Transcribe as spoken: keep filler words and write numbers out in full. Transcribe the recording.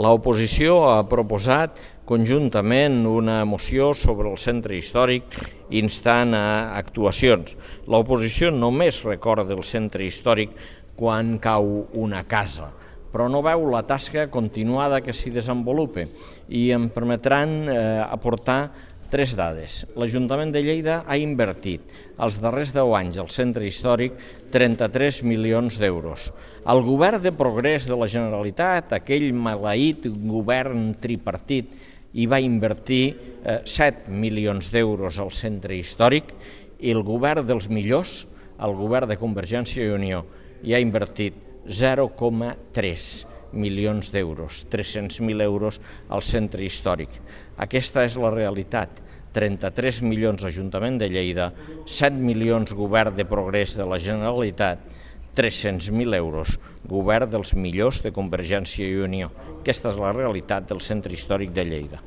L'oposició ha proposat conjuntament una moció sobre el centre històric instant a actuacions. L'oposició només recorda el centre històric quan cau una casa, però no veu la tasca continuada que s'hi desenvolupa i em permetran eh, aportar tres dades. L'Ajuntament de Lleida ha invertit els darrers deu anys al centre històric trenta-tres milions d'euros. El govern de progrés de la Generalitat, aquell maleït govern tripartit, hi va invertir eh, set milions d'euros al centre històric i el govern dels millors, el govern de Convergència i Unió, hi ha invertit zero coma tres milions d'euros, tres-cents mil euros al centre històric. Aquesta és la realitat. trenta-tres milions Ajuntament de Lleida, set milions Govern de Progrés de la Generalitat, tres-cents mil euros Govern dels millors de Convergència i Unió. Aquesta és la realitat del centre històric de Lleida.